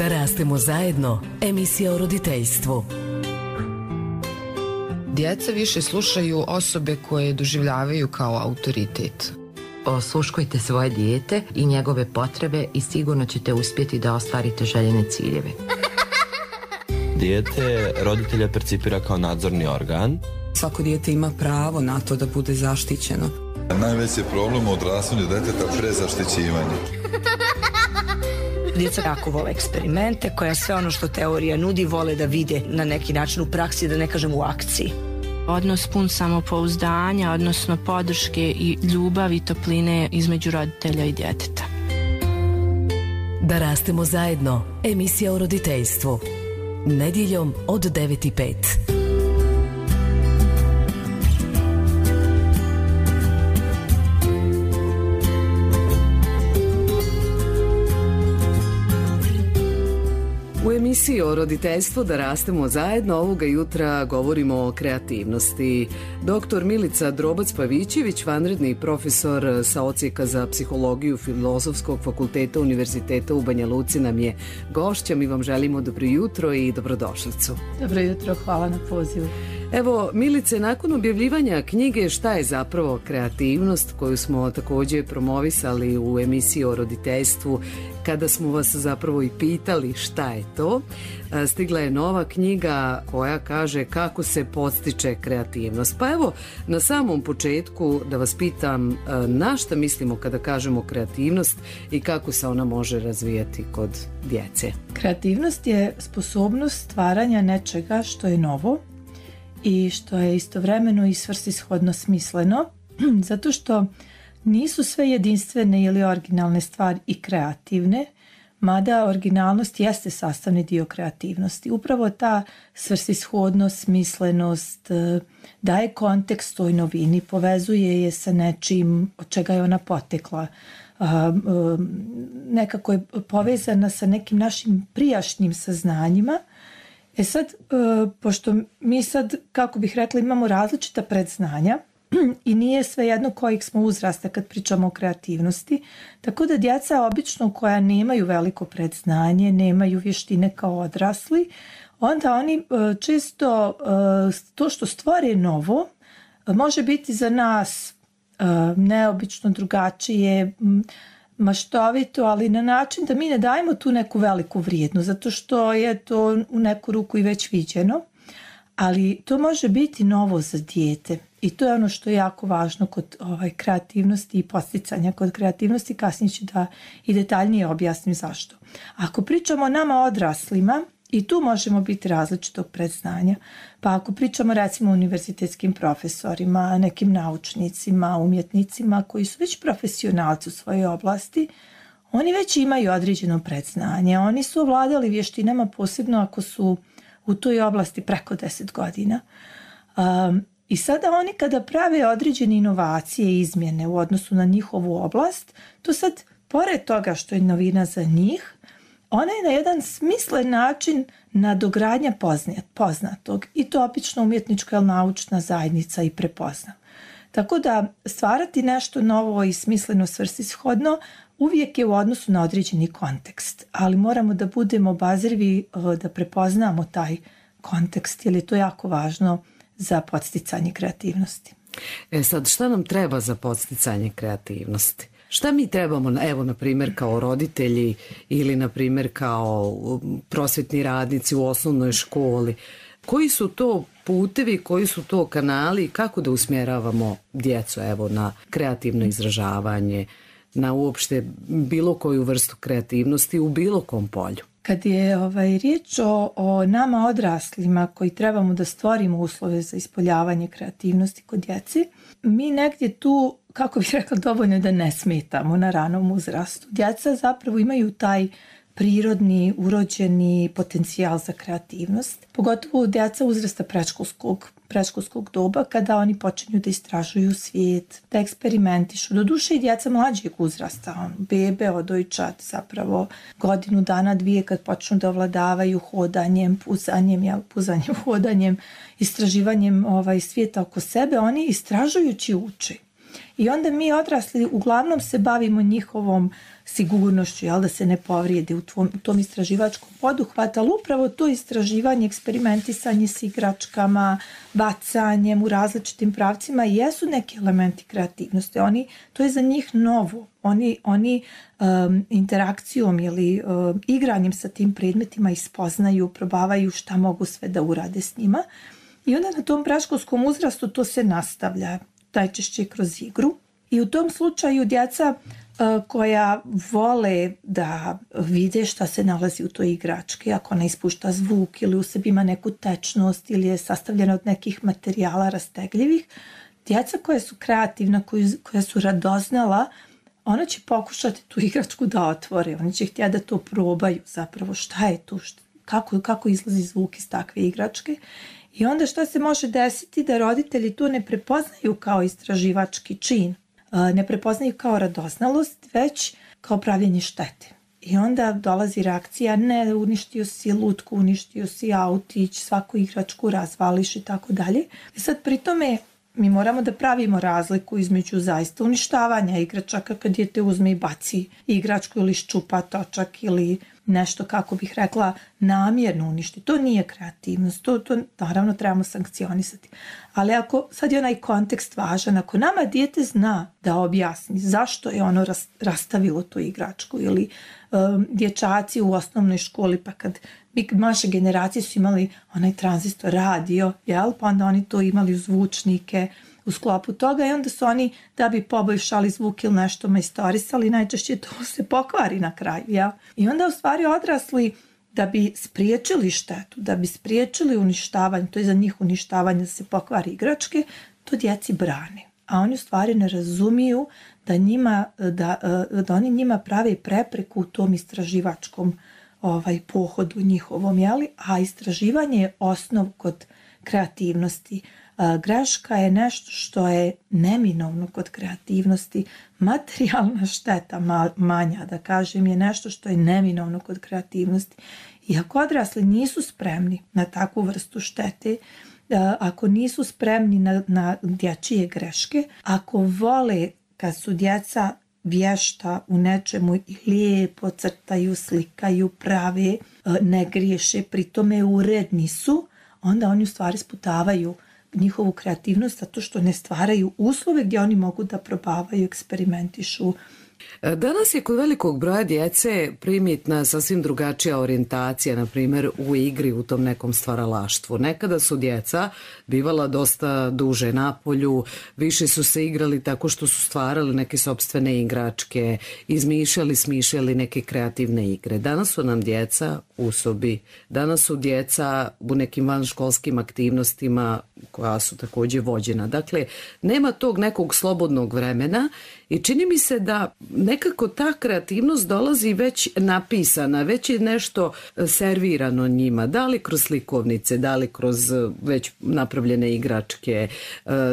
Da rastemo zajedno, emisija o roditeljstvu. Djeca više slušaju osobe koje doživljavaju kao autoritet. Osluškujte svoje dijete i njegove potrebe i sigurno ćete uspjeti da ostvarite željene ciljeve. Dijete roditelja percipira kao nadzorni organ. Svako dijete ima pravo na to da bude zaštićeno. Najveći problem u odrastanju djeteta prezaštićivanje. Djeca jako vole eksperimente, koja sve ono što teorija nudi vole da vide na neki način u praksi, da ne kažem u akciji. Odnos pun samopouzdanja, odnosno podrške i ljubavi i topline između roditelja i djeteta. Da rastemo zajedno, emisija o roditeljstvu. Nedjeljom od 9:05. U emisiji o roditeljstvu Da rastemo zajedno ovoga jutra govorimo o kreativnosti. Dr. Milica Drobac-Pavićević, vanredni profesor sa odsjeka za psihologiju Filozofskog fakulteta Univerziteta u Banja Luci nam je gošća. Mi vam želimo dobro jutro i dobrodošlicu. Dobro jutro, hvala na pozivu. Evo, Milice, nakon objavljivanja knjige Šta je zapravo kreativnost, koju smo također promovisali u emisiji o roditeljstvu, kada smo vas zapravo i pitali šta je to, stigla je nova knjiga koja kaže kako se podstiče kreativnost. Pa evo, na samom početku da vas pitam na šta mislimo kada kažemo kreativnost i kako se ona može razvijati kod djece. Kreativnost je sposobnost stvaranja nečega što je novo i što je istovremeno i svrsishodno smisleno, zato što nisu sve jedinstvene ili originalne stvari i kreativne, mada originalnost jeste sastavni dio kreativnosti. Upravo ta svrsishodnost, smislenost daje kontekst toj novini, povezuje je sa nečim od čega je ona potekla. Nekako je povezana sa nekim našim prijašnjim saznanjima. Sad, pošto mi sad, kako bih rekla, imamo različita predznanja i nije svejedno kojeg smo uzrasta kad pričamo o kreativnosti, tako da djeca obično koja nemaju veliko predznanje, nemaju vještine kao odrasli, onda oni često to što stvore novo može biti za nas neobično drugačije, maštovito, ali na način da mi ne dajemo tu neku veliku vrijednost, zato što je to u neku ruku i već viđeno, ali to može biti novo za dijete i to je ono što je jako važno kod kreativnosti i posticanja kod kreativnosti. Kasnije ću da i detaljnije objasnim zašto. Ako pričamo o nama odraslima, i tu možemo biti različitog predznanja. Pa ako pričamo recimo o univerzitetskim profesorima, nekim naučnicima, umjetnicima koji su već profesionalci u svojoj oblasti, oni već imaju određeno predznanje. Oni su ovladali vještinama, posebno ako su u toj oblasti preko 10 godina. I sada oni kada prave određene inovacije i izmjene u odnosu na njihovu oblast, to sad, pored toga što je novina za njih, ona je na jedan smislen način nadogradnja poznatog i to obično umjetnička ili naučna zajednica i prepozna. Tako da stvarati nešto novo i smisleno svrsishodno uvijek je u odnosu na određeni kontekst, ali moramo da budemo obazrivi da prepoznamo taj kontekst jer je to jako važno za podsticanje kreativnosti. Sad, šta nam treba za podsticanje kreativnosti? Šta mi trebamo, evo, na primjer, kao roditelji ili, na primjer, kao prosvjetni radnici u osnovnoj školi? Koji su to putevi, koji su to kanali, kako da usmjeravamo djecu, evo, na kreativno izražavanje, na uopšte bilo koju vrstu kreativnosti u bilo kom polju? Kad je riječ o nama odraslima koji trebamo da stvorimo uslove za ispoljavanje kreativnosti kod djeci, mi negdje tu, kako bih rekla, dovoljno da ne smetamo na ranom uzrastu. Djeca zapravo imaju taj prirodni, urođeni potencijal za kreativnost, pogotovo djeca uzrasta predškolskog doba kada oni počinju da istražuju svijet, da eksperimentišu. Doduše i djeca mlađeg uzrasta, bebe, dojčad, zapravo godinu dana, dvije kad počnu da ovladavaju hodanjem, puzanjem, hodanjem, istraživanjem svijeta oko sebe, oni istražujući uče. I onda mi odrasli uglavnom se bavimo njihovom sigurnošću, da se ne povrijedi u tom istraživačkom poduhvatu, ali upravo to istraživanje, eksperimentisanje s igračkama, bacanjem u različitim pravcima jesu neki elementi kreativnosti. To je za njih novo. Oni interakcijom ili igranjem sa tim predmetima ispoznaju, probavaju šta mogu sve da urade s njima. I onda na tom predškolskom uzrastu to se nastavlja, najčešće kroz igru. I u tom slučaju djeca koja vole da vide šta se nalazi u toj igrački, ako ona ispušta zvuk ili u sebi ima neku tečnost ili je sastavljena od nekih materijala rastegljivih, djeca koja su kreativna, koja su radoznala, ona će pokušati tu igračku da otvore, oni će htjeti da to probaju zapravo šta je tu, kako izlazi zvuk iz takve igračke. I onda šta se može desiti da roditelji to ne prepoznaju kao istraživački čin, ne prepoznaju kao radoznalost, već kao pravljenje štete. I onda dolazi reakcija, ne, uništio si lutku, uništio si autić, svaku igračku razvališ i tako dalje. I sad pri tome mi moramo da pravimo razliku između zaista uništavanja igračaka kad dijete uzme i baci igračku ili ščupa točak ili nešto, kako bih rekla, namjerno uništi. To nije kreativnost, to naravno trebamo sankcionisati. Ali ako sad je onaj kontekst važan, ako nama dijete zna da objasni zašto je ono rastavilo tu igračku ili dječaci u osnovnoj školi, pa kad naše generacije su imali onaj tranzistor radio, pa onda oni to imali u zvučnike u sklopu toga i onda su oni, da bi poboljšali zvuk ili nešto majstorisali, najčešće to se pokvari na kraju. I onda u stvari odrasli, da bi spriječili štetu, da bi spriječili uništavanje, to je za njih uništavanje da se pokvari igračke, to djeci brane. A oni u stvari ne razumiju da oni njima prave prepreku u tom istraživačkom pohodu njihovom, a istraživanje je osnov kod kreativnosti. Greška je nešto što je neminovno kod kreativnosti. Materijalna šteta manja, da kažem, je nešto što je neminovno kod kreativnosti. I ako odrasli nisu spremni na takvu vrstu štete, ako nisu spremni na dječje greške, ako vole kad su djeca vješta u nečemu i lijepo crtaju, slikaju, prave, ne griješe, pri tome uredni su, onda oni u stvari sputavaju njihovu kreativnost zato što ne stvaraju uslove gdje oni mogu da probavaju, eksperimentišu. Danas je kod velikog broja djece primjetna sasvim drugačija orijentacija, na primjer u igri, u tom nekom stvaralaštvu. Nekada su djeca bivala dosta duže na polju, više su se igrali tako što su stvarali neke sopstvene igračke, smišljali neke kreativne igre. Danas su nam djeca u sobi, danas su djeca u nekim vanškolskim aktivnostima koja su također vođena. Dakle, nema tog nekog slobodnog vremena i čini mi se da nekako ta kreativnost dolazi već napisana, već je nešto servirano njima, da li kroz slikovnice, da li kroz već napravljene igračke,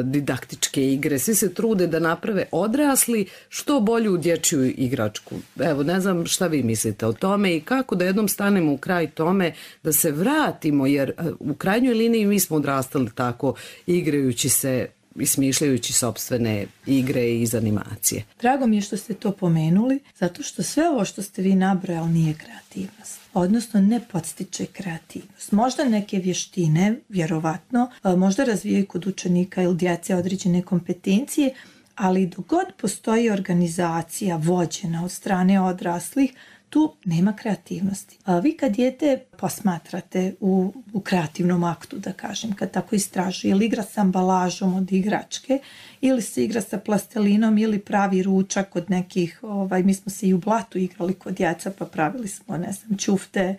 didaktičke igre, svi se trude da naprave odrasli što bolju dječju igračku. Evo, ne znam šta vi mislite o tome i kako da jednom stanemo u kraj tome, da se vratimo, jer u krajnjoj liniji mi smo odrastali tako, igrajući se i smišljajući sopstvene igre iz animacije. Drago mi je što ste to pomenuli, zato što sve ovo što ste vi nabrojali nije kreativnost. Odnosno ne podstiče kreativnost. Možda neke vještine, vjerovatno, možda razvijaju kod učenika ili djece određene kompetencije, ali dok god postoji organizacija vođena od strane odraslih, tu nema kreativnosti. Vi kad dijete posmatrate u kreativnom aktu, da kažem, kad tako istražuje, ili igra sa ambalažom od igračke, ili se igra sa plastelinom, ili pravi ručak od nekih, mi smo se i u blatu igrali kod djeca, pa pravili smo, ćufte,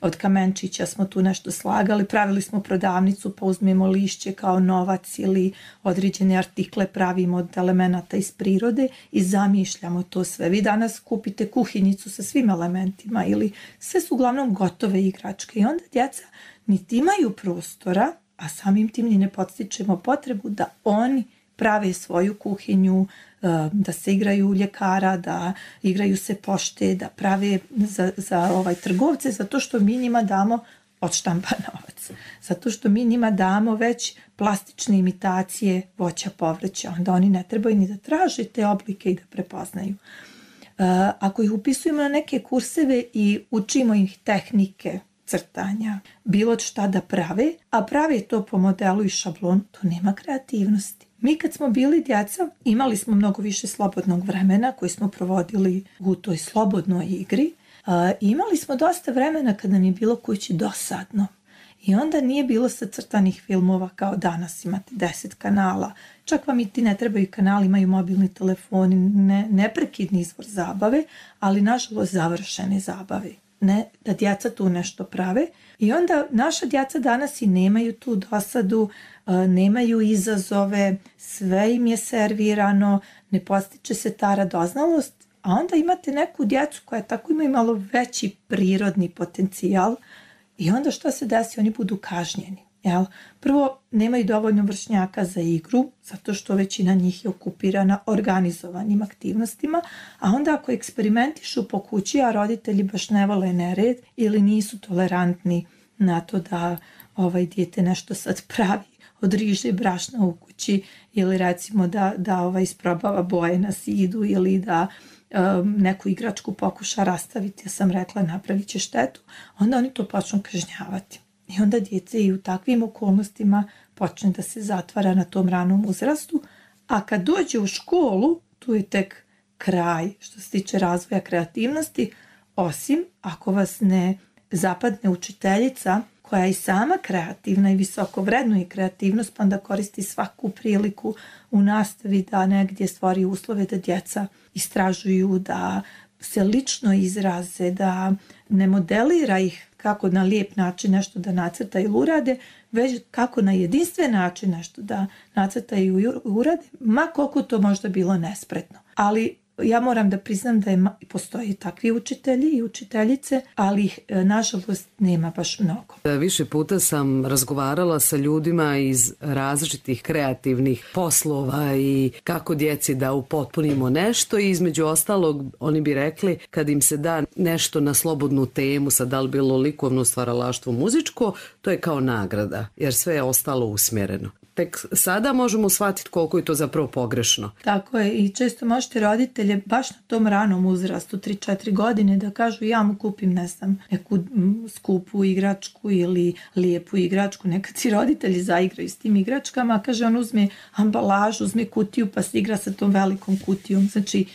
od kamenčića smo tu nešto slagali, pravili smo prodavnicu, pa uzmemo lišće kao novac ili određene artikle pravimo od elemenata iz prirode i zamišljamo to sve. Vi danas kupite kuhinjicu sa svim elementima ili sve su uglavnom gotove igračke i onda djeca niti imaju prostora, a samim tim ni ne podstičemo potrebu da oni prave svoju kuhinju, da se igraju ljekara, da igraju se pošte, da prave za trgovce, zato što mi njima damo odštampa novac. Zato što mi njima damo već plastične imitacije voća, povrća. Onda oni ne trebaju ni da traže te oblike i da prepoznaju. Ako ih upisujemo na neke kurseve i učimo ih tehnike crtanja, bilo šta da prave, a prave to po modelu i šablonu, to nema kreativnosti. Mi kad smo bili djeca, imali smo mnogo više slobodnog vremena koji smo provodili u toj slobodnoj igri. Imali smo dosta vremena kad nam je bilo kući dosadno. I onda nije bilo sacrtanih filmova kao danas, imate 10 kanala. Čak vam i ti ne trebaju kanali, imaju mobilni telefoni, neprekidni izvor zabave, ali nažalost završene zabave. Ne da djeca tu nešto prave. I onda naša djeca danas i nemaju tu dosadu, nemaju izazove, sve im je servirano, ne postiče se ta radoznalost, a onda imate neku djecu koja tako imaju malo veći prirodni potencijal i onda što se desi, oni budu kažnjeni. Jel? Prvo, nemaju dovoljno vršnjaka za igru, zato što većina njih je okupirana organizovanim aktivnostima, a onda ako eksperimentišu po kući, a roditelji baš ne vole nered ili nisu tolerantni na to da dijete nešto sad pravi od riže brašna u kući ili recimo da isprobava boje na zidu ili da neku igračku pokuša rastaviti, ja sam rekla napravit će štetu, onda oni to počnu kažnjavati. I onda djece i u takvim okolnostima počne da se zatvara na tom ranom uzrastu, a kad dođe u školu, tu je tek kraj što se tiče razvoja kreativnosti, osim ako vas ne zapadne učiteljica koja je i sama kreativna i visoko vrednuje kreativnost, pa onda koristi svaku priliku u nastavi da negdje stvori uslove da djeca istražuju, da se lično izraze, da ne modelira ih kako na lijep način nešto da nacrta ili urade, već kako na jedinstven način nešto da nacrta i urade, ma koliko to možda bilo nespretno. Ali ja moram da priznam da postoji takvi učitelji i učiteljice, ali ih nažalost nema baš mnogo. Više puta sam razgovarala sa ljudima iz različitih kreativnih poslova i kako djeci da upotpunimo nešto i između ostalog oni bi rekli kad im se da nešto na slobodnu temu, sad da li bilo likovno stvaralaštvo, muzičko, to je kao nagrada jer sve je ostalo usmjereno. Tek sada možemo shvatiti koliko je to zapravo pogrešno. Tako je i često možete roditelje baš na tom ranom uzrastu 3-4 godine da kažu ja mu kupim neku skupu igračku ili lijepu igračku. Nekad si roditelji zaigraju s tim igračkama, kaže on uzme ambalažu, uzme kutiju pa se igra sa tom velikom kutijom. Znači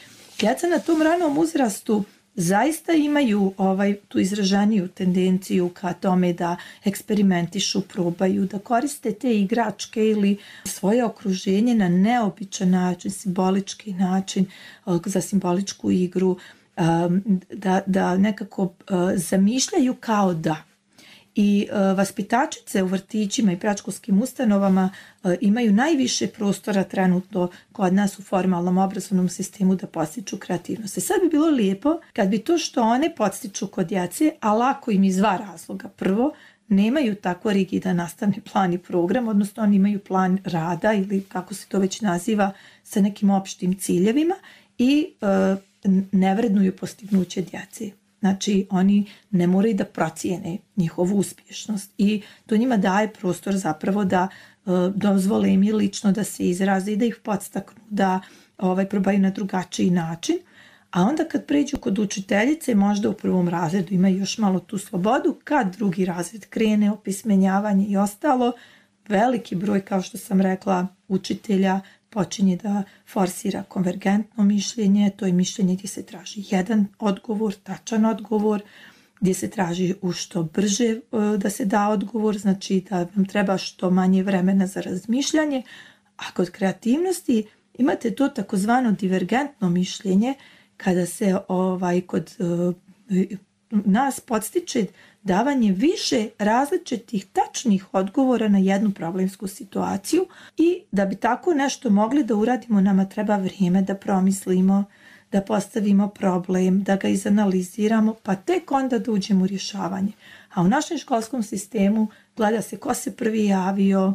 djeca na tom ranom uzrastu zaista imaju tu izraženiju tendenciju ka tome da eksperimentišu, probaju, da koriste te igračke ili svoje okruženje na neobičan način, simbolički način, za simboličku igru, da nekako zamišljaju kao da. I vaspitačice u vrtićima i predškolskim ustanovama imaju najviše prostora trenutno kod nas u formalnom obrazovnom sistemu da podstiču kreativnost. Sad bi bilo lijepo kad bi to što one podstiču kod djece, a lako im iz dva razloga. Prvo, nemaju tako rigidan nastavni plan i program, odnosno oni imaju plan rada ili kako se to već naziva sa nekim opštim ciljevima i ne vrednuju postignuće djece. Znači, oni ne moraju da procijene njihovu uspješnost i to njima daje prostor zapravo da dozvole im i lično da se izraze i da ih podstaknu, da probaju na drugačiji način. A onda kad pređu kod učiteljice, možda u prvom razredu imaju još malo tu slobodu, kad drugi razred krene, opismenjavanje i ostalo, veliki broj, kao što sam rekla, učitelja počinje da forsira konvergentno mišljenje, to je mišljenje gdje se traži jedan odgovor, tačan odgovor, gdje se traži u što brže da se da odgovor, znači da vam treba što manje vremena za razmišljanje, a kod kreativnosti imate to takozvano divergentno mišljenje, kada se kod nas podstiče davanje više različitih tačnih odgovora na jednu problemsku situaciju i da bi tako nešto mogli da uradimo nama treba vrijeme da promislimo, da postavimo problem, da ga izanaliziramo pa tek onda da uđemo u rješavanje. A u našem školskom sistemu gleda se ko se prvi javio,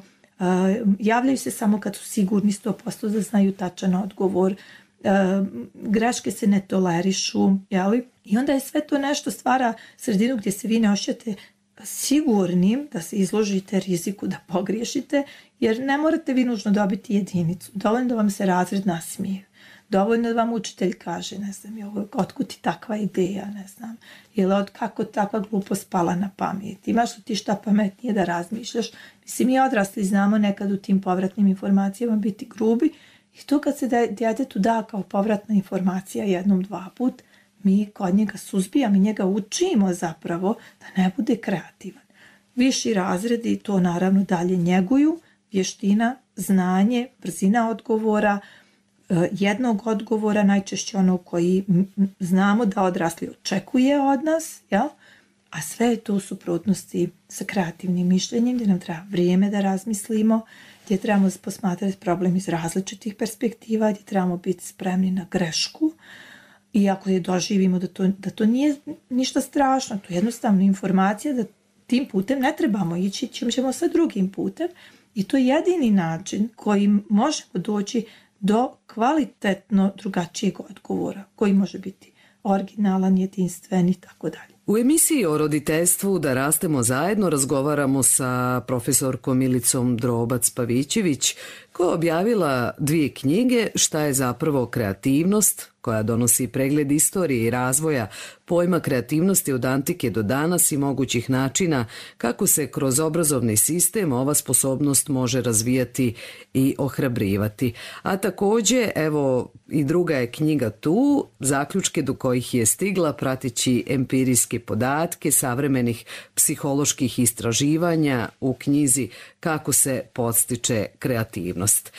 javljaju se samo kad su sigurni 100% da znaju tačan odgovor, greške se ne tolerišu, jeli? I onda je sve to nešto stvara sredinu gdje se vi ne osjećate sigurnim da se izložite riziku da pogriješite, jer ne morate vi nužno dobiti jedinicu. Dovoljno da vam se razred nasmije. Dovoljno da vam učitelj kaže, ne znam, otkud ti takva ideja, ne znam, ili kako takva glupost pala na pamet. Imaš li ti šta pametnije da razmišljaš? Mislim, mi odrasli znamo nekad u tim povratnim informacijama biti grubi i to kad se djetetu da kao povratna informacija jednom, dva put, mi kod njega suzbijamo i njega učimo zapravo da ne bude kreativan. Viši razredi to naravno dalje njeguju, vještina, znanje, brzina odgovora, jednog odgovora, najčešće ono koji znamo da odrasli očekuje od nas, jel? A sve je to u suprotnosti sa kreativnim mišljenjem, gdje nam treba vrijeme da razmislimo, gdje trebamo posmatrati problem iz različitih perspektiva, gdje trebamo biti spremni na grešku. I ako je doživimo da to nije ništa strašno, to je jednostavno informacija da tim putem ne trebamo ići, ćemo sve drugim putem. I to je jedini način kojim možemo doći do kvalitetno drugačijeg odgovora, koji može biti originalan, jedinstven i tako dalje. U emisiji o roditeljstvu Da rastemo zajedno razgovaramo sa profesorkom Milicom Drobac-Pavićević, koja je objavila 2 knjige Šta je zapravo kreativnost, koja donosi pregled istorije i razvoja pojma kreativnosti od antike do danas i mogućih načina kako se kroz obrazovni sistem ova sposobnost može razvijati i ohrabrivati. A također, evo, i druga je knjiga tu, zaključke do kojih je stigla prateći empirijske podatke savremenih psiholoških istraživanja u knjizi Kako se podstiče kreativnost.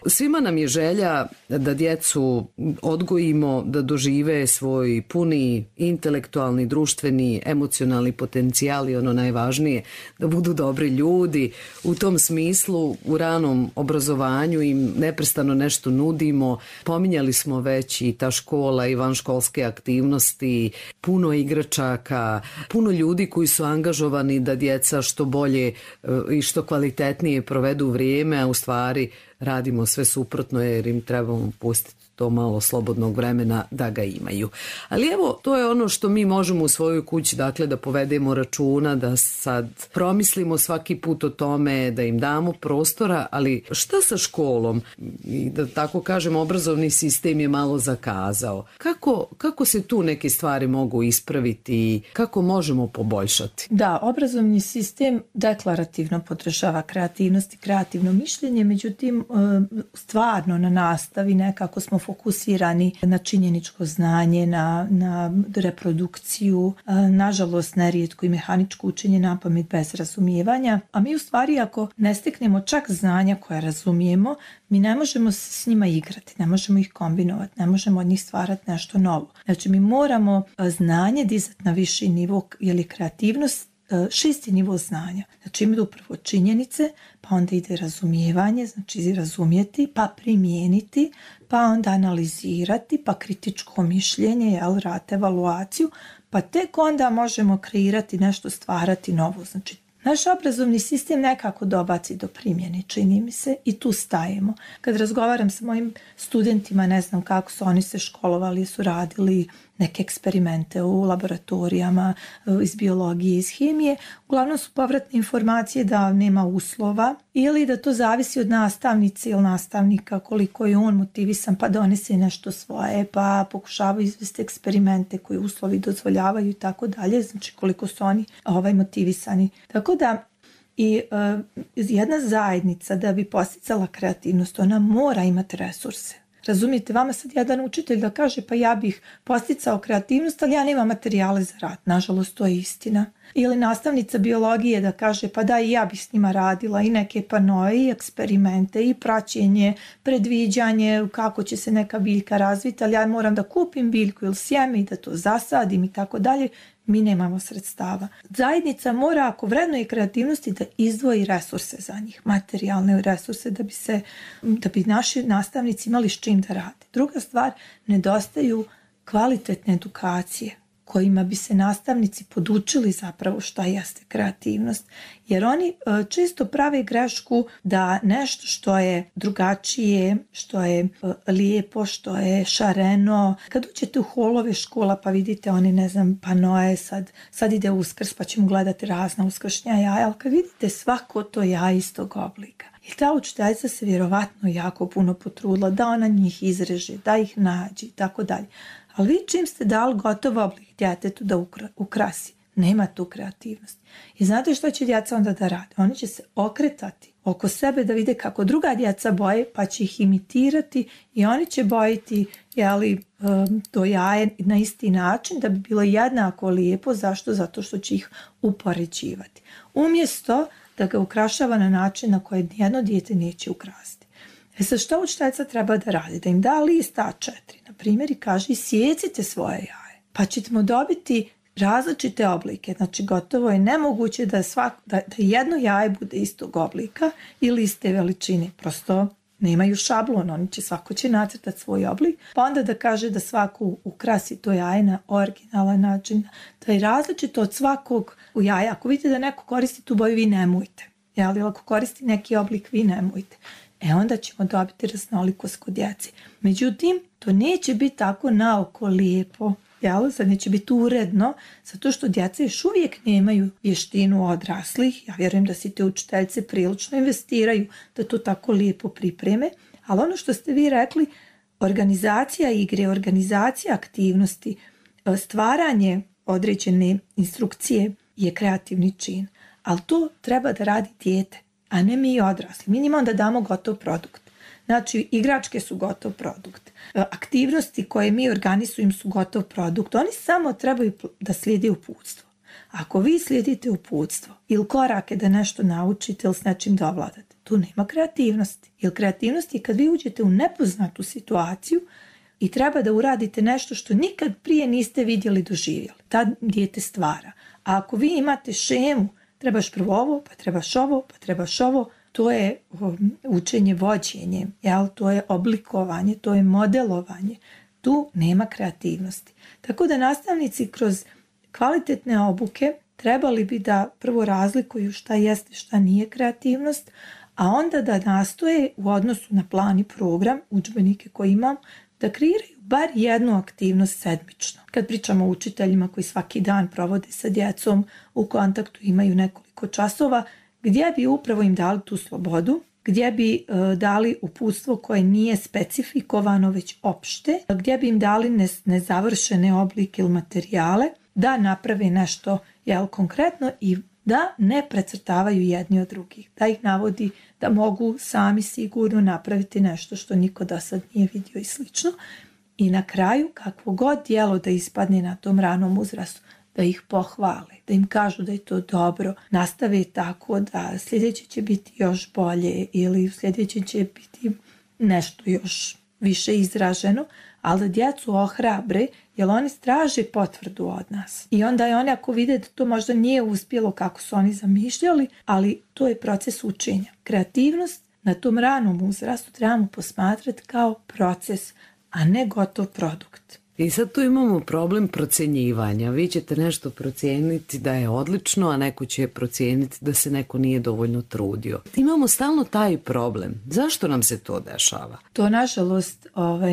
Svima nam je želja da djecu odgojimo da dožive svoj puni intelektualni, društveni, emocionalni potencijal i ono najvažnije, da budu dobri ljudi. U tom smislu u ranom obrazovanju im neprestano nešto nudimo. Pominjali smo već i ta škola i vanškolske aktivnosti, puno igračaka, puno ljudi koji su angažovani da djeca što bolje i što kvalitetnije provedu vrijeme, a u stvari radimo sve suprotno jer im trebamo pustiti to malo slobodnog vremena da ga imaju. Ali evo, to je ono što mi možemo u svojoj kući, dakle, da povedemo računa, da sad promislimo svaki put o tome, da im damo prostora, ali šta sa školom? I da tako kažem, obrazovni sistem je malo zakazao. Kako se tu neke stvari mogu ispraviti? Kako možemo poboljšati? Da, obrazovni sistem deklarativno podržava kreativnost i kreativno mišljenje, međutim, stvarno na nastavi nekako smo fokusirani na činjeničko znanje, na reprodukciju, nažalost nerijetko i mehaničko učenje napamet bez razumijevanja, a mi u stvari ako ne steknemo čak znanja koja razumijemo, mi ne možemo s njima igrati, ne možemo ih kombinovati, ne možemo od njih stvarati nešto novo. Znači mi moramo znanje dizati na viši nivo, jer je kreativnost 6. nivo znanja. Znači ima upravo činjenice, pa onda ide razumijevanje, znači razumjeti, pa primijeniti, pa onda analizirati, pa kritičko mišljenje, rad, evaluaciju, pa tek onda možemo kreirati nešto, stvarati novo. Znači naš obrazovni sistem nekako dobaci do primjene, čini mi se, i tu stajemo. Kad razgovaram sa mojim studentima, ne znam kako su oni se školovali, su radili neke eksperimente u laboratorijama iz biologije, iz hemije, uglavnom su povratne informacije da nema uslova ili da to zavisi od nastavnice ili nastavnika, koliko je on motivisan pa donese nešto svoje, pa pokušava izvesti eksperimente koji uslovi dozvoljavaju i tako dalje, znači koliko su oni motivisani. Tako da i jedna zajednica da bi posticala kreativnost, ona mora imati resurse. Razumijete, vama sad jedan učitelj da kaže pa ja bih posticao kreativnost, ali ja nemam materijale za rad. Nažalost, to je istina. Ili nastavnica biologije da kaže pa da i ja bih s njima radila i neke panoje i eksperimente i praćenje, predviđanje kako će se neka biljka razviti, ali ja moram da kupim biljku ili sjeme i da to zasadim i tako dalje. Mi nemamo sredstava. Zajednica mora, ako vrednuje kreativnosti, da izdvoji resurse za njih, materijalne resurse, da bi naši nastavnici imali s čim da rade. Druga stvar, nedostaju kvalitetne edukacije. kojima bi se nastavnici podučili zapravo šta jeste kreativnost. Jer oni često prave grešku da nešto što je drugačije, što je lijepo, što je šareno. Kad uđete u holove škola pa vidite oni, ne znam, panoje, sad ide Uskrs pa ćemo gledati razna uskršnja jaja, ali kad vidite svako to jaje istog oblika. I ta učiteljica se vjerovatno jako puno potrudila da ona njih izreže, da ih nađe i tako dalje. Ali vi čim ste dali gotov oblik djetetu da ukrasi, nema tu kreativnosti. I znate što će djeca onda da rade? Oni će se okretati oko sebe da vide kako druga djeca boje, pa će ih imitirati i oni će bojiti to jaje na isti način da bi bilo jednako lijepo. Zašto? Zato što će ih upoređivati. Umjesto da ga ukrašava na način na koji jedno dijete neće ukrasti. Sad što učiteljica treba da radi? Da im da list A4, na primjer, i kaže isjecite svoje jaje. Pa ćemo dobiti različite oblike. Znači gotovo je nemoguće da jedno jaje bude istog oblika ili iste veličine. Prosto nemaju šablon, svako će nacrtati svoj oblik. Pa onda da kaže da svako ukrasi to jaje na originalan način. Da je različito od svakog u jaja. Ako vidite da neko koristi tu boju, vi nemojte. Ali ako koristi neki oblik, vi nemojte. Onda ćemo dobiti raznolikost kod djece. Međutim, to neće biti tako naoko lijepo. Sad neće biti uredno, zato što djeca još uvijek nemaju vještinu odraslih. Ja vjerujem da si te učiteljice prilično investiraju da to tako lijepo pripreme. Ali ono što ste vi rekli, organizacija igre, organizacija aktivnosti, stvaranje određene instrukcije je kreativni čin. Ali to treba da radi dijete, a ne mi odrasli. Mi njima onda damo gotov produkt. Znači, igračke su gotov produkt. Aktivnosti koje mi organizujemo su gotov produkt. Oni samo trebaju da slijede uputstvo. Ako vi slijedite uputstvo ili korake da nešto naučite ili s nečim da ovladate, tu nema kreativnosti. Jer kreativnost je kad vi uđete u nepoznatu situaciju i treba da uradite nešto što nikad prije niste vidjeli, doživjeli. Tad dijete stvara. A ako vi imate šemu, trebaš prvo ovo, pa trebaš ovo, pa trebaš ovo, to je učenje vođenjem, to je oblikovanje, to je modelovanje. Tu nema kreativnosti. Tako da nastavnici kroz kvalitetne obuke trebali bi da prvo razlikuju šta jeste, šta nije kreativnost, a onda da nastoje u odnosu na plan i program, udžbenike koje imam, da kreiraju bar jednu aktivnost sedmično. Kad pričamo o učiteljima koji svaki dan provode sa djecom u kontaktu, imaju nekoliko časova, gdje bi upravo im dali tu slobodu, gdje bi dali uputstvo koje nije specifikovano već opšte, gdje bi im dali nezavršene oblike ili materijale, da naprave nešto konkretno i da ne precrtavaju jedni od drugih. Da ih navodi da mogu sami sigurno napraviti nešto što niko do sad nije vidio i slično. I na kraju, kakvo god djelo da ispadne na tom ranom uzrastu, da ih pohvale, da im kažu da je to dobro, nastave tako da sljedeće će biti još bolje ili sljedeće će biti nešto još više izraženo, ali da djecu ohrabre, jer oni traže potvrdu od nas. I onda je oni, ako vide da to možda nije uspjelo kako su oni zamišljali, ali to je proces učenja. Kreativnost na tom ranom uzrastu trebamo posmatrati kao proces, a ne gotov produkt. I sad tu imamo problem procjenjivanja. Vi ćete nešto procijeniti da je odlično, a neko će procijeniti da se neko nije dovoljno trudio. Imamo stalno taj problem. Zašto nam se to dešava? To, nažalost,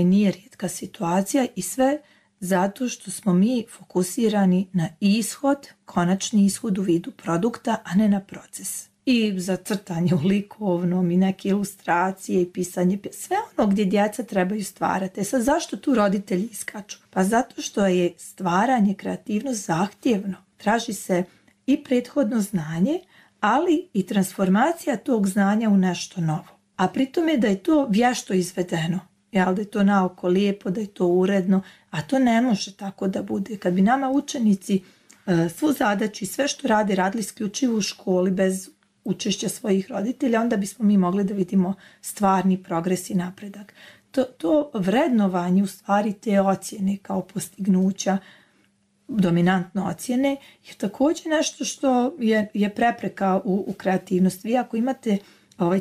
nije rijetka situacija i sve zato što smo mi fokusirani na ishod, konačni ishod u vidu produkta, a ne na proces. I za crtanje u likovnom i neke ilustracije i pisanje, sve ono gdje djeca trebaju stvarati. Sad zašto tu roditelji iskaču? Pa zato što je stvaranje, kreativnost zahtjevno. Traži se i prethodno znanje, ali i transformacija tog znanja u nešto novo. A pritom je da je to vješto izvedeno. Da je to naoko lijepo, da je to uredno, a to ne može tako da bude. Kad bi nama učenici svu zadaću i sve što radili isključivo u školi bez učešća svojih roditelja, onda bismo mi mogli da vidimo stvarni progres i napredak. To vrednovanje, u stvari te ocjene kao postignuća, dominantno ocjene, je također nešto što je prepreka u kreativnosti. Vi ako imate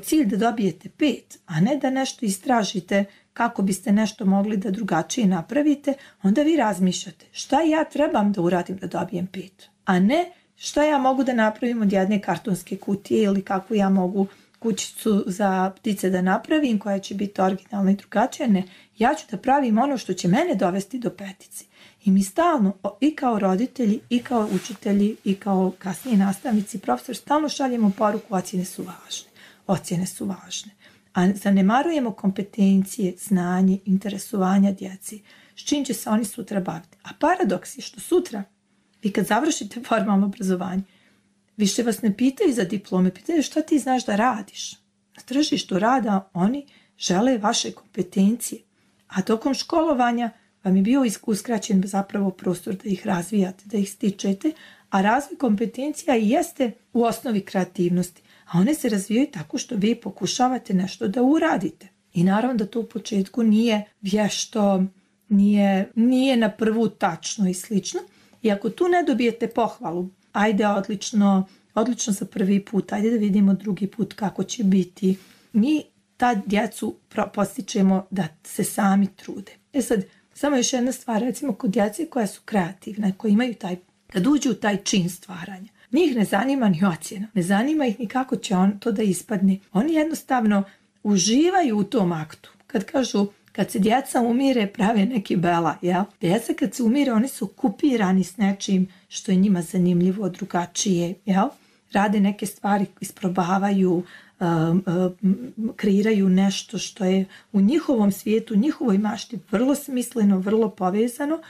cilj da dobijete 5, a ne da nešto istražite kako biste nešto mogli da drugačije napravite, onda vi razmišljate šta ja trebam da uradim da dobijem 5, a ne šta ja mogu da napravim od jedne kartonske kutije ili kakvu ja mogu kućicu za ptice da napravim koja će biti originalna i drugačija. Ne, ja ću da pravim ono što će mene dovesti do 5. I mi stalno, i kao roditelji, i kao učitelji, i kao kasnije nastavnici, profesor, stalno šaljemo poruku ocjene su važne. Ocjene su važne. A zanemarujemo kompetencije, znanje, interesovanja djeci, s čim će se oni sutra baviti. A paradoks je što sutra, vi kad završite formalno obrazovanje, više vas ne pitaju za diplome, pitaju šta ti znaš da radiš. Na tržištu rada oni žele vaše kompetencije, a tokom školovanja vam je bio uskraćen zapravo prostor da ih razvijate, da ih stičete, a razvoj kompetencija i jeste u osnovi kreativnosti, a one se razvijaju tako što vi pokušavate nešto da uradite. I naravno da to u početku nije vješto, nije na prvu tačno i slično, i ako tu ne dobijete pohvalu, ajde odlično za prvi put, ajde da vidimo drugi put kako će biti, mi ta djecu postičemo da se sami trude. Sad, samo još jedna stvar, recimo kod djece koja su kreativne, koji imaju kad uđu u taj čin stvaranja, njih ne zanima ni ocjena, ne zanima ih ni kako će to da ispadne. Oni jednostavno uživaju u tom aktu. Kad kažu, kad se djeca umire, prave neki bela, jel? Djeca kad se umire, oni su okupirani s nečim što je njima zanimljivo, drugačije, jel? Rade neke stvari, isprobavaju, kreiraju nešto što je u njihovom svijetu, u njihovoj mašti vrlo smisleno, vrlo povezano,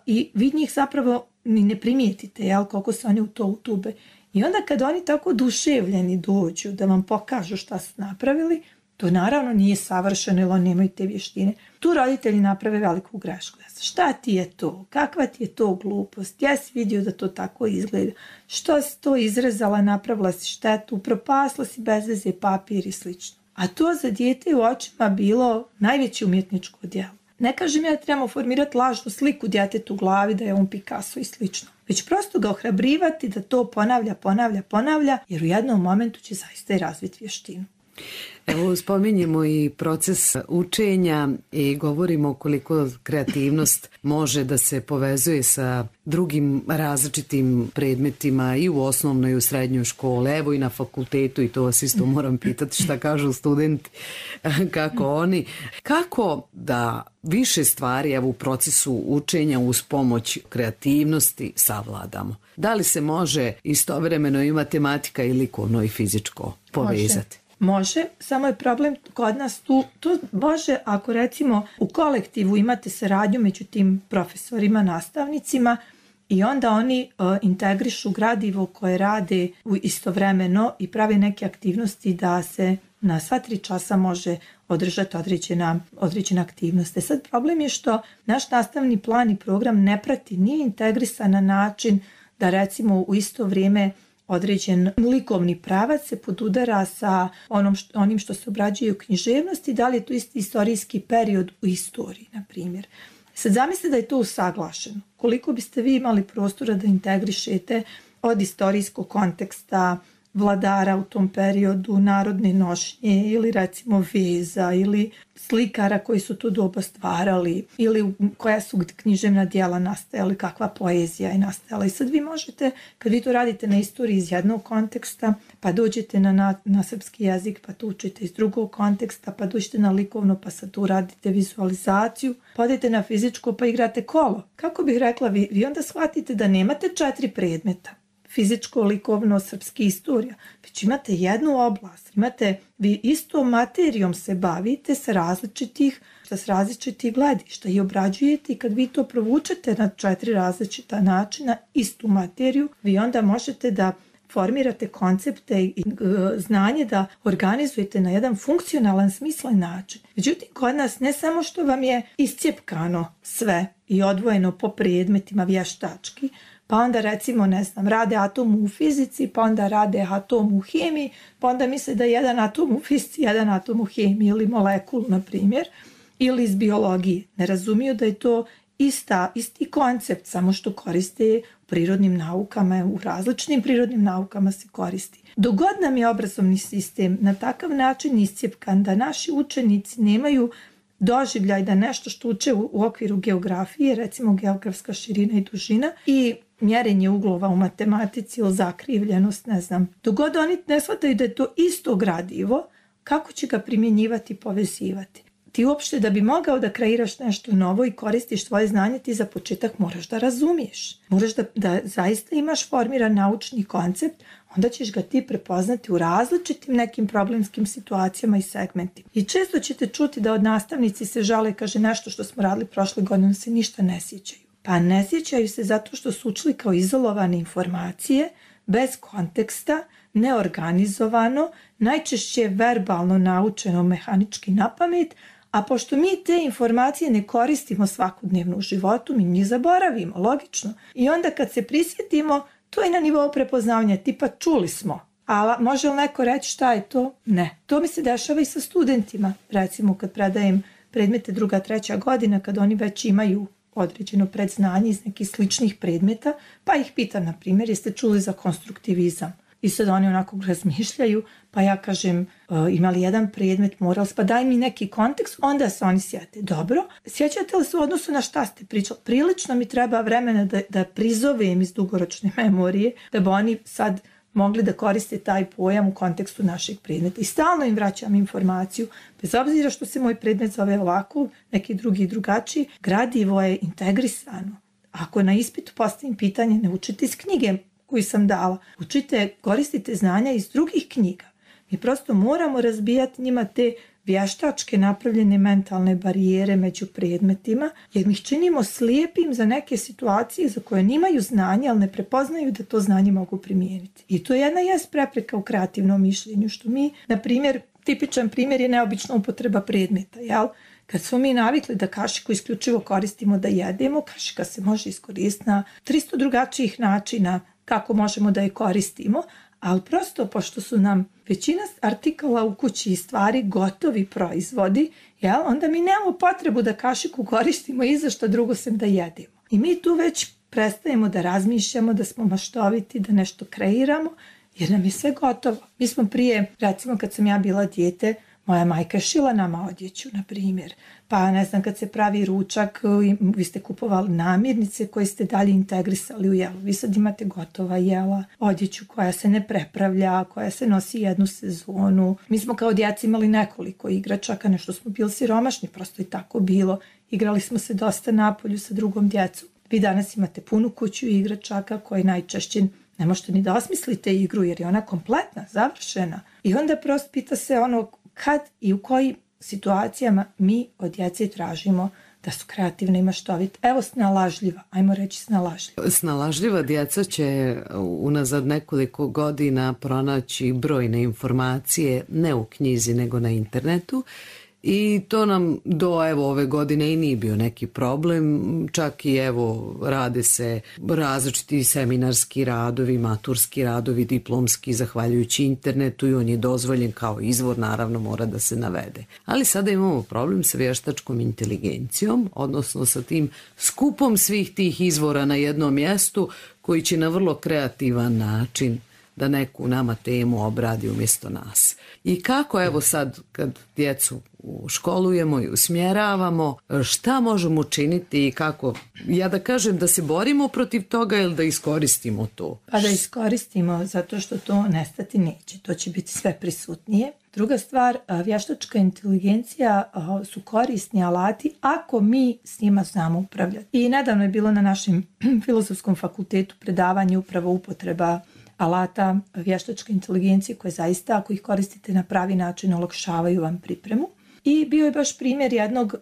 i vi njih zapravo ni ne primijetite, jel, koliko se oni u to utube. I onda kad oni tako oduševljeni dođu da vam pokažu šta su napravili, to naravno nije savršeno jer oni nemaju te vještine. Tu roditelji naprave veliku grešku. Šta ti je to? Kakva ti je to glupost? Ja si vidio da to tako izgleda. Što si to izrezala, napravila si štetu, propasla si bez veze papir i slično. A to za dijete u očima bilo najveće umjetničko djelo. Ne kažem ja da trebamo formirati lažnu sliku djetetu u glavi da je on Picasso i slično. Već prosto ga ohrabrivati da to ponavlja, jer u jednom momentu će zaista i razviti vještinu. Evo, spominjemo i proces učenja i govorimo koliko kreativnost može da se povezuje sa drugim različitim predmetima i u osnovnoj i u srednjoj školi, evo i na fakultetu, i to vas isto moram pitati šta kažu studenti, kako oni. Kako da više stvari evo u procesu učenja uz pomoć kreativnosti savladamo? Da li se može istovremeno i matematika i likovno i fizičko povezati? Može, samo je problem kod nas tu, to može ako recimo u kolektivu imate saradnju među tim profesorima, nastavnicima i onda oni integrišu gradivo koje rade istovremeno i prave neke aktivnosti da se na sva 3 časa može održati određena aktivnost. Sad problem je što naš nastavni plan i program ne prati, nije integrisan na način da recimo u isto vrijeme određen likovni pravac se podudara sa onim što se obrađuje u književnosti, da li je to isti istorijski period u istoriji, na primjer. Sad zamislite da je to usaglašeno. Koliko biste vi imali prostora da integrišete od istorijskog konteksta vladara u tom periodu, narodne nošnje ili recimo veza ili slikara koji su to doba stvarali ili koja su književna djela nastajala, kakva poezija je nastajala. I sad vi možete, kad vi to radite na istoriji iz jednog konteksta, pa dođete na srpski jezik, pa to učite iz drugog konteksta, pa dođete na likovno, pa sad tu radite vizualizaciju, pa odete na fizičko, pa igrate kolo. Kako bih rekla, vi onda shvatite da nemate 4 predmeta. Fizičko, likovno, srpski, istorija, već imate jednu oblast, vi istom materijom se bavite sa različitih gledišta i obrađujete, i kad vi to provučete na 4 različita načina, istu materiju, vi onda možete da formirate koncepte i znanje da organizujete na jedan funkcionalan, smislen način. Međutim, kod nas ne samo što vam je iscijepkano sve i odvojeno po predmetima vještački, pa onda recimo, rade atom u fizici, pa onda rade atom u hemiji, pa onda misle da je jedan atom u fizici, jedan atom u hemiji ili molekulu, na primjer, ili iz biologije. Ne razumiju da je to isti koncept, samo što koriste u prirodnim naukama, u različitim prirodnim naukama se koristi. Dok god nam je obrazovni sistem na takav način iscijepkan da naši učenici nemaju doživljaj da nešto što uče u okviru geografije, recimo geografska širina i dužina i mjerenje uglova u matematici ili zakrivljenost, ne znam. Dok god oni ne shvataju da je to isto gradivo, kako će ga primjenjivati i povezivati? Ti uopšte da bi mogao da kreiraš nešto novo i koristiš svoje znanje, ti za početak moraš da razumiješ. Moraš da zaista imaš formiran naučni koncept, onda ćeš ga ti prepoznati u različitim nekim problemskim situacijama i segmentima. I često ćete čuti da od nastavnici se žale, kaže nešto što smo radili prošle godine, se ništa ne sjećaju. Pa ne sjećaju se zato što su učili kao izolovane informacije, bez konteksta, neorganizovano, najčešće verbalno naučeno mehanički napamet, a pošto mi te informacije ne koristimo svakodnevno u životu, mi njih zaboravimo, logično. I onda kad se prisjetimo, to je na nivou prepoznavanja, tipa čuli smo. A može li neko reći šta je to? Ne. To mi se dešava i sa studentima. Recimo kad predajem predmete 2., 3. godina, kad oni već imaju određeno predznanje iz nekih sličnih predmeta, pa ih pitam, na primjer, jeste čuli za konstruktivizam? I sad oni onako razmišljaju, pa ja kažem, imali jedan predmet, morali, pa daj mi neki kontekst, onda se oni sjete. Dobro, sjećate li se u odnosu na šta ste pričali? Prilično mi treba vremena da prizovem iz dugoročne memorije, da bi oni sad mogli da koriste taj pojam u kontekstu našeg predmeta. I stalno im vraćam informaciju, bez obzira što se moj predmet zove ovako, neki drugi drugačiji, gradivo je integrisano. Ako na ispitu postavim pitanje, ne učite iz knjige koju sam dala, učite, koristite znanja iz drugih knjiga. Mi prosto moramo razbijati njima te vještačke napravljene mentalne barijere među predmetima, jer mi ih činimo slijepim za neke situacije za koje nimaju znanja, ali ne prepoznaju da to znanje mogu primijeniti. I to je jedna prepreka u kreativnom mišljenju, što mi, na primjer, tipičan primjer je neobična upotreba predmeta, jel? Kad smo mi navikli da kašiku isključivo koristimo da jedemo, kašika se može iskoristiti na 300 drugačijih načina kako možemo da je koristimo, ali prosto pošto su nam većina artikala u kući i stvari gotovi proizvodi, jel, onda mi nemamo potrebu da kašiku koristimo i za što drugo sem da jedemo. I mi tu već prestajemo da razmišljamo, da smo maštoviti, da nešto kreiramo, jer nam je sve gotovo. Mi smo prije, recimo kad sam ja bila dijete, moja majka je šila nama odjeću, na primjer. Pa ne znam, kad se pravi ručak, vi ste kupovali namirnice koje ste dalje integrisali u jelo. Vi sad imate gotova jela, odjeću koja se ne prepravlja, koja se nosi jednu sezonu. Mi smo kao djeca imali nekoliko igračaka, nešto smo bili siromašni, prosto i tako bilo. Igrali smo se dosta napolju sa drugom djecom. Vi danas imate punu kuću igračaka koji najčešće ne možete ni da osmislite igru jer je ona kompletna, završena. I onda prosto pita se ono kad i u kojim situacijama mi od djece tražimo da su kreativne i maštovite. Evo snalažljiva, ajmo reći snalažljiva. Snalažljiva djeca će unazad nekoliko godina pronaći brojne informacije, ne u knjizi nego na internetu. I to nam do ove godine i nije bio neki problem, čak i rade se različiti seminarski radovi, maturski radovi, diplomski, zahvaljujući internetu i on je dozvoljen kao izvor, naravno mora da se navede. Ali sada imamo problem sa vještačkom inteligencijom, odnosno sa tim skupom svih tih izvora na jednom mjestu koji će na vrlo kreativan način da neku nama temu obradi umjesto nas. I kako sad kad djecu školujemo i usmjeravamo, šta možemo učiniti i kako, ja da kažem da se borimo protiv toga ili da iskoristimo to? Pa da iskoristimo, zato što to nestati neće, to će biti sve prisutnije. Druga stvar, vještačka inteligencija su korisni alati ako mi s njima znamo upravljati. I nedavno je bilo na našem filozofskom fakultetu predavanje upravo upotreba alata vještačke inteligencije koje zaista, ako ih koristite na pravi način, olakšavaju vam pripremu. I bio je baš primjer jednog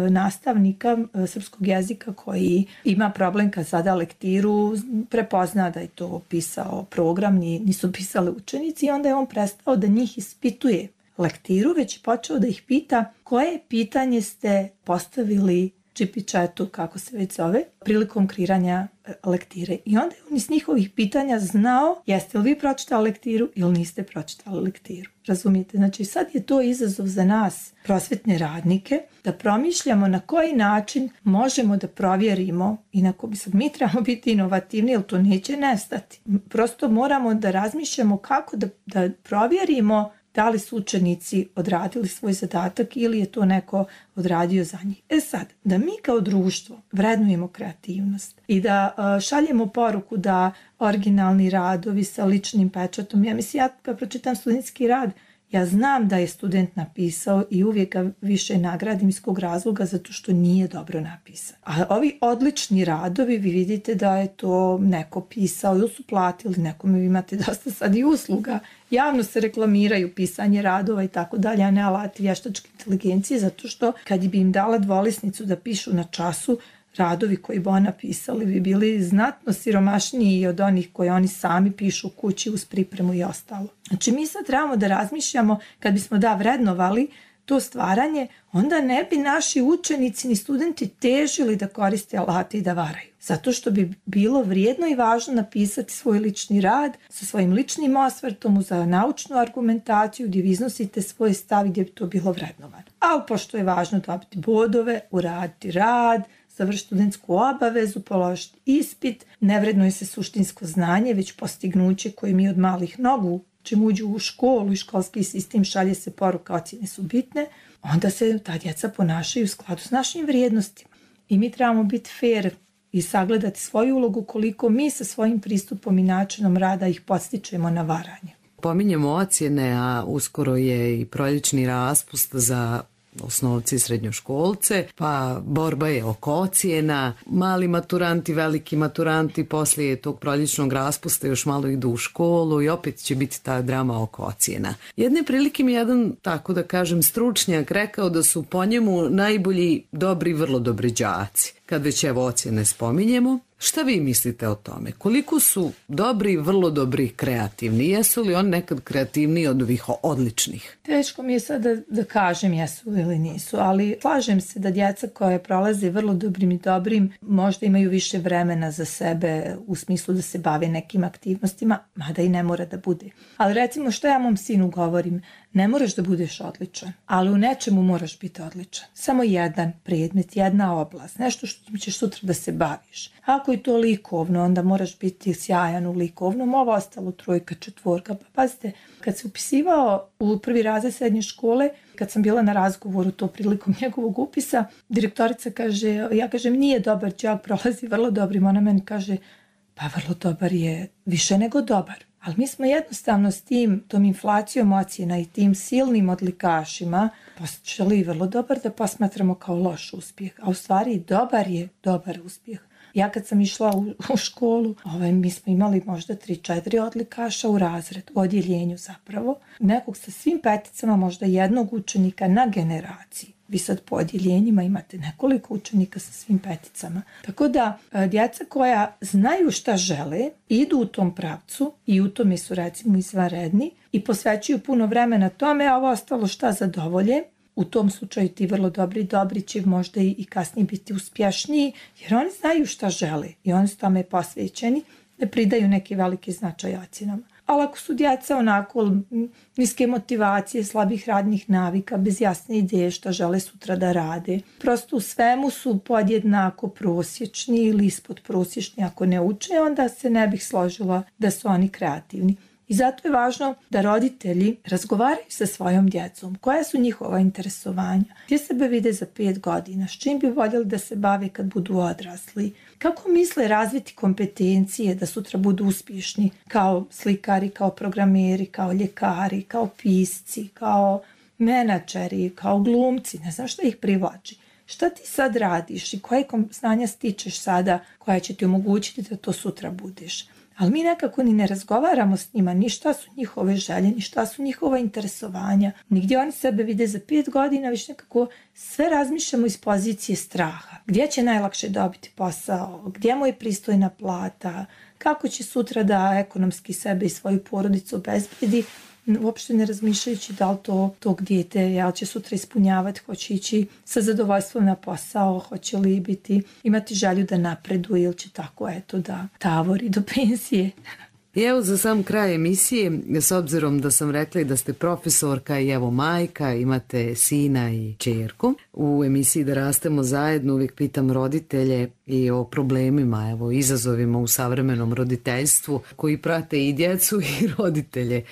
nastavnika srpskog jezika koji ima problem kad zada lektiru, prepozna da je to pisao program, nisu pisali učenici i onda je on prestao da njih ispituje lektiru, već je počeo da ih pita koje pitanje ste postavili GP chatu, kako se već zove, prilikom kreiranja lektire. I onda je on iz njihovih pitanja znao jeste li vi pročitali lektiru ili niste pročitali lektiru. Razumijete? Znači sad je to izazov za nas, prosvetne radnike, da promišljamo na koji način možemo da provjerimo, inako bi sad mi trebamo biti inovativni, jer to neće nestati. Prosto moramo da razmišljamo kako da provjerimo da li su učenici odradili svoj zadatak ili je to neko odradio za njih. Sad, da mi kao društvo vrednujemo kreativnost i da šaljemo poruku da originalni radovi sa ličnim pečatom, ja mislim, ja kad pročitam studentski rad, ja znam da je student napisao i uvijek ga više nagradim iz kog razloga, zato što nije dobro napisan. A ovi odlični radovi, vi vidite da je to neko pisao ili su platili nekome, vi imate dosta sad i usluga, javno se reklamiraju pisanje radova i tako dalje, a ne alati vještačke inteligencije, zato što kad bi im dala dvolisnicu da pišu na času, radovi koji bi ona pisali bi bili znatno siromašniji od onih koje oni sami pišu u kući uz pripremu i ostalo. Znači mi sad trebamo da razmišljamo, kad bismo vrednovali to stvaranje, onda ne bi naši učenici ni studenti težili da koriste alate i da varaju. Zato što bi bilo vrijedno i važno napisati svoj lični rad sa svojim ličnim osvrtom za naučnu argumentaciju gdje vi iznosite svoj stav gdje bi to bilo vrednovano. Ali pošto je važno dobiti bodove, uraditi rad, završiti studentsku obavezu, položiti ispit, ne vrednuje se suštinsko znanje, već postignuće koje mi od malih nogu, čim uđu u školu i školski sistem šalje se poruka ocjene su bitne, onda se ta djeca ponašaju u skladu s našim vrijednostima. I mi trebamo biti fair i sagledati svoju ulogu koliko mi sa svojim pristupom i načinom rada ih podstičemo na varanje. Pominjemo ocjene, a uskoro je i proljećni raspust za osnovci i srednjoškolce, pa borba je oko ocjena, mali maturanti, veliki maturanti, poslije tog proljećnog raspusta još malo idu u školu i opet će biti ta drama oko ocjena. Jedne prilike mi jedan, tako da kažem, stručnjak rekao da su po njemu najbolji dobri, vrlo dobri đaci. Kad već evo ocjene spominjemo, šta vi mislite o tome? Koliko su dobri, vrlo dobri, kreativni? Jesu li oni nekad kreativniji od ovih odličnih? Teško mi je sad da kažem jesu ili nisu, ali slažem se da djeca koje prolaze vrlo dobrim i dobrim možda imaju više vremena za sebe u smislu da se bave nekim aktivnostima, mada i ne mora da bude. Ali recimo što ja mom sinu govorim, ne moraš da budeš odličan, ali u nečemu moraš biti odličan. Samo jedan predmet, jedna oblast, nešto što ćeš sutra da se baviš. Ako je to likovno, onda moraš biti sjajan u likovnom, ovo ostalo 3, 4. Pa pazite, kad se upisivao u prvi razred srednje škole, kad sam bila na razgovoru to prilikom njegovog upisa, direktorica kaže, ja kažem nije dobar đak, prolazi vrlo dobrim, ona meni kaže, pa vrlo dobar je više nego dobar. Ali mi smo jednostavno s tom inflacijom ocjena i tim silnim odlikašima počeli vrlo dobar da posmatramo kao loš uspjeh. A u stvari dobar je dobar uspjeh. Ja kad sam išla u školu, mi smo imali možda 3-4 odlikaša u razred, u odjeljenju zapravo. Nekog sa svim peticama, možda jednog učenika na generaciji. Vi sad po odjeljenjima imate nekoliko učenika sa svim peticama. Tako da djeca koja znaju šta žele, idu u tom pravcu i u tome su recimo izvanredni i posvećuju puno vremena tome, a ovo ostalo šta zadovolje. U tom slučaju ti vrlo dobri će možda i kasnije biti uspješniji, jer oni znaju šta žele i oni su tome posvećeni, ne pridaju neki veliki značaj ocjenama. Ali ako su djeca onako niske motivacije, slabih radnih navika, bez jasne ideje šta žele sutra da rade, prosto u svemu su podjednako prosječni ili ispod prosječni ako ne uče, onda se ne bih složila da su oni kreativni. I zato je važno da roditelji razgovaraju sa svojom djecom. Koja su njihova interesovanja? Gdje sebe vide za 5 godina? S čim bi voljeli da se bave kad budu odrasli? Kako misle razviti kompetencije da sutra budu uspješni kao slikari, kao programeri, kao ljekari, kao pisci, kao menadžeri, kao glumci? Ne znam šta ih privlači. Šta ti sad radiš i koje znanja stičeš sada koja će ti omogućiti da to sutra budeš? Ali mi nekako ni ne razgovaramo s njima, ni šta su njihove želje, ni šta su njihova interesovanja, ni gdje oni sebe vide za 5 godina, već nekako sve razmišljamo iz pozicije straha. Gdje će najlakše dobiti posao, gdje mu je pristojna plata, kako će sutra da ekonomski sebe i svoju porodicu obezbedi, uopšte ne razmišljajući da li to tog dijete će sutra ispunjavati, hoće ići sa zadovoljstvom na posao, hoće li imati želju da napreduje ili će tako da tavori do penzije. I evo za sam kraj emisije, s obzirom da sam rekla da ste profesorka i evo majka, imate sina i ćerku. U emisiji Da rastemo zajedno uvijek pitam roditelje i o problemima, evo izazovima u savremenom roditeljstvu koji prate i djecu i roditelje.